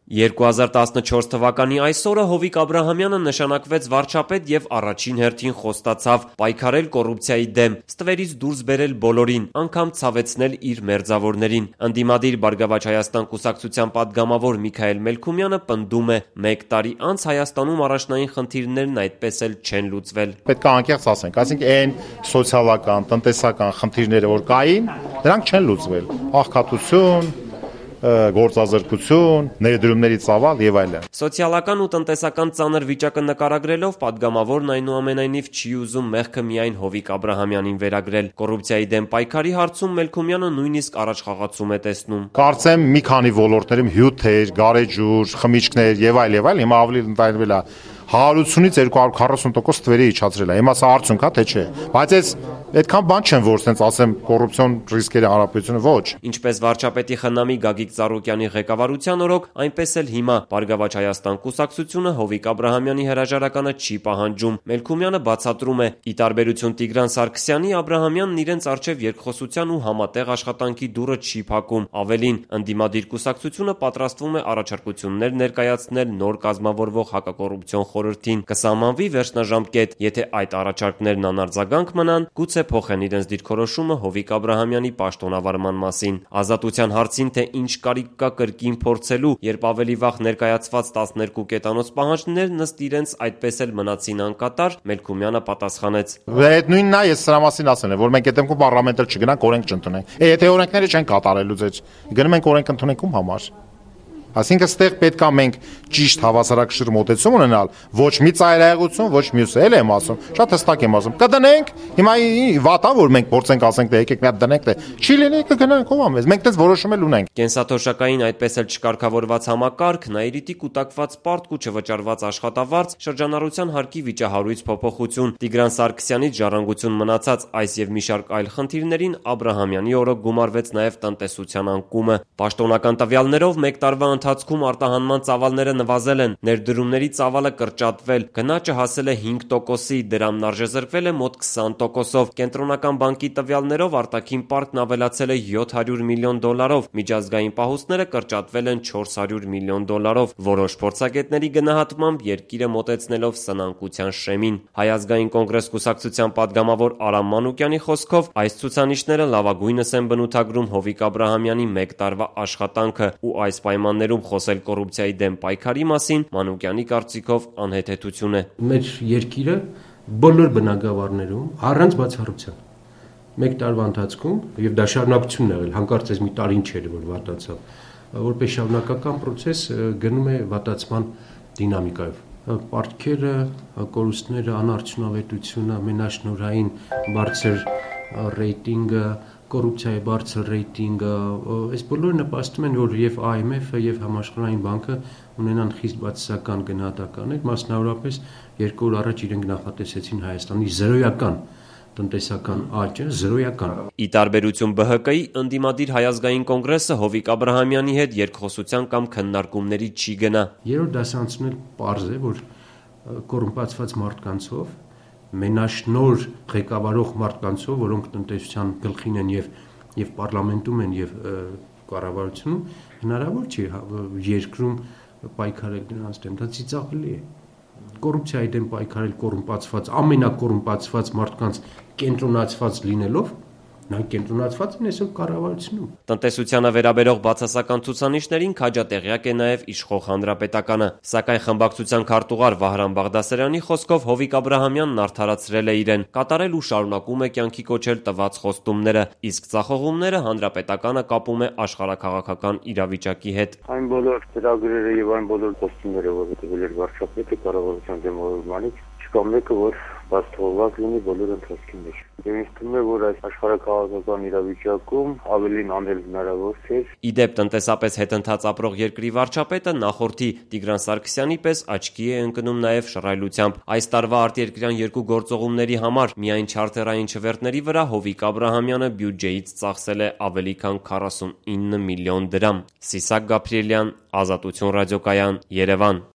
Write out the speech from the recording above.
2014 թվականի այսօրը Հովիկ Աբրահամյանը նշանակվեց վարչապետ և առաջին հերթին խոստացավ պայքարել կոռուպցիայի դեմ, ստվերից դուրս բերել բոլորին, անգամ ցավեցնել իր մերձավորներին։ Ընդդիմադիր Բարգավաճ Հայաստան կուսակցության պատգամավոր Միքայել Մելքումյանը պնդում է՝ 1 տարի անց Հայաստանում առաջնային խնդիրներն այդպես էլ չեն լուծվել։ Պետք է անկեղծ ասենք, այսինքն այն սոցիալական, տնտեսական խնդիրները, որ կային, դրանք չեն լուծվել։ Աղքատություն, գործազրկություն, ներդրումների ծավալ եւ այլն։ Սոցիալական ու տնտեսական ծանր վիճակը նկարագրելով պատգամավորն այնուամենայնիվ չի ուզում մեղքը միայն Հովիկ Աբրահամյանին վերագրել։ Կոռուպցիայի դեմ պայքարի հարցում Մելքումյանը նույնիսկ առաջխաղացում է տեսնում։ Կարծեմ մի քանի ոլորտներում հյութեր, գարեջուր, խմիչքներ եւ այլ, հիմա ավելի ընդայնվել է 180-ից 240% ստվերի իջացրել է։ Հիմա սա արդյունք է, թե չէ։ Բայց այս այդքան բան չեմ, որ ասենց ասեմ կոռուպցիոն ռիսկերի հարաբերությունը ոչ։ Ինչպես վարչապետի խնամի Գագիկ Ծառուկյանի ղեկավարության օրոք, այնպես էլ հիմա Բարգավաճ Հայաստան կուսակցությունը Հովիկ Աբրահամյանի հրաժարականը չի պահանջում։ Մելքումյանը բացատրում է՝ ի տարբերություն Տիգրան Սարգսյանի, Աբրահամյանն իրենց առջև երկխոսության ու համատեղ աշխատանքի դուռը չի փակում։ Ավելին, ընդդիմադիր կուսակցությունը պատրաստվում է առաջարկություններ ներկայացնել նոր կազմավորվող հակակոռուպցիոն խորհրդին, կսահմանվի վերջնաժամկետ, եթե այդ առաջարկներն անարձագանք մնան, գուցե փոխեն իրենց դիրքորոշումը Հովիկ Աբրահամյանի պաշտոնավարման մասին։ Ազատության հարցին, թե ինչ կարիք կա կրկին փորձելու, երբ ավելի վաղ ներկայացված 12 կետանոց պահանջներն ըստ իրենց այդպես էլ մնացին անկատար, Մելքումյանը պատասխանեց. Այդ նույնն է, ես սրա մասին ասել եմ, որ մենք այդ դեպքում պարլամենտը չգնանք, օրենք չընդունենք։ Եթե օրենքները չեն կատարելու ձեզ, գնում ենք օրենք ընդունենք ում համար։ Այսինքն ստեղ պետք է մենք ճիշտ հավասարակշիռ մոտեցում ունենալ, ոչ մի ծայրահեղություն, ոչ մյուսը, էլ եմ ասում, շատ հստակ եմ ասում, կդնենք, հիմա վատա որ մենք փորձենք ասենք թե եկեք մի հատ դնենք, թե չի լինի կգնանք ով ամես, մենք դες որոշում էլ ունենք։ Կենսաթոշակային այդպես էլ չկարգավորված համակարգ, նայիրիտի կուտակված պարտք ու չվճարված աշխատավարձ, շրջանառության հարկի վիճահարույց փոփոխություն, Տիգրան Սարգսյանից ժառանգություն մնացած այս եւ մի շարք այլ խնդիրներին Աբրահամյանի օրոք գումարվեց նաեւ տնտեսության անկումը։ Պաշտոնական տվյալներով 1 տարվա ընթացքում արտահանման ծավալները նվազել են, ներդրումների ծավալը կրճատվել, գնաճը հասել է 5%-ի, դրամն արժեզրկվել է մոտ 20%-ով։ Կենտրոնական բանկի տվյալներով արտաքին պարտքն ավելացել է $700 միլիոն, միջազգային պահուստները կրճատվել են $400 միլիոն։ Որոշ փորձագետների գնահատմամբ երկիրը մոտեցնելով սնանկության շեմին։ Հայ ազգային կոնգրես կուսակցության պատգամավոր Արամ Մանուկյանի խոսքով այս ցուցանիշները լավագույնս են բնութագրում Հովիկ Աբրահամյանի 1 տարվա աշխատանքը ու այս պայմաններում խոսել կոռուպցիայի դեմ պայքարի մասին Մանուկյանի կարծիքով անհեթեթություն է։ Մեր երկիրը բոլոր բնագավառներում առանց բացառության 1 տարվա ընթացքում եւ դա շարունակությունն եղել, հանկարծ այս մի տարին չէր որ վատացավ, որպես շարունակական process գնում է վատացման դինամիկայով։ Պարտքերը, կորուստները, անարդյունավետությունը, մենաշնորհային բարձր ռեյտինգը, կոռուպցիայի բարձր ռեյտինգը, այս բոլորը նպաստում են, որ եւ IMF-ը եւ Համաշխարհային բանկը ունենան խիստ բացասական գնահատականներ, մասնավորապես 2 օր առաջ իրենք նախատեսեցին Հայաստանի զրոյական տնտեսական աճը, զրոյական։ Ի տարբերություն ԲՀԿ-ի, ընդդիմադիր Հայ ազգային կոնգրեսը Հովիկ Աբրահամյանի հետ երկխոսության կամ քննարկումների չի գնա։ Երրորդ դասարանցինել պարզ է, որ կոռումպացված մարդկանցով, մենաշնոր ղեկավարող մարդկանցով, որոնք տնտեսության գլխին են եւ պարլամենտում են եւ կառավարությունում, հնարավոր չի երկրում պայքարել դրանց դեմ, դա ծիծաղելի է։ Կոռուպցիայի դեմ պայքարել կոռումպացված, ամենակոռումպացված մարդկանց կենտրոնացված լինելով, նրանք կենտրոնացված են այսօր կառավարությունում։ Տնտեսությանը վերաբերող բացասական ցուցանիշներին քաջատեղյակ է նաև իշխող հանրապետականը, սակայն խմբակցության քարտուղար Վահրամ Բաղդասարյանի խոսքով Հովիկ Աբրահամյանն արդարացրել է իրեն, կատարել ու շարունակում է կյանքի կոչել տված խոստումները, իսկ ծախողումները հանրապետականը կապում է աշխարհաքաղաքական իրավիճակի հետ։ Այն բոլոր ծրագրերը եւ այն բոլոր խոստումները, որ տվել էր վարչապետը կառավարության դեմ օրոմանից, չկա մեկը, որ բացթողված լինի բոլոր ընթացքի մեջ։ Ինձ թվում է, որ այս աշխարհաքաղաքական իրավիճակում ավելին անել հնարավոր չէ։ Իդեպ տնտեսապես հետընթաց ապրող երկրի վարչապետը նախորդի Տիգրան Սարգսյանի պես աչքի է ընկնում նաև շռայլությամբ։ Այս տարվա արտերկրյան երկու գործողումների համար միայն չարտերային չվերթների վրա Հովիկ Աբրահամյանը բյուջեից ծախսել է ավելի քան 49 միլիոն դրամ։ Սիսակ Գաբրիելյան, Ազատություն ռադիոկայան, Երևան։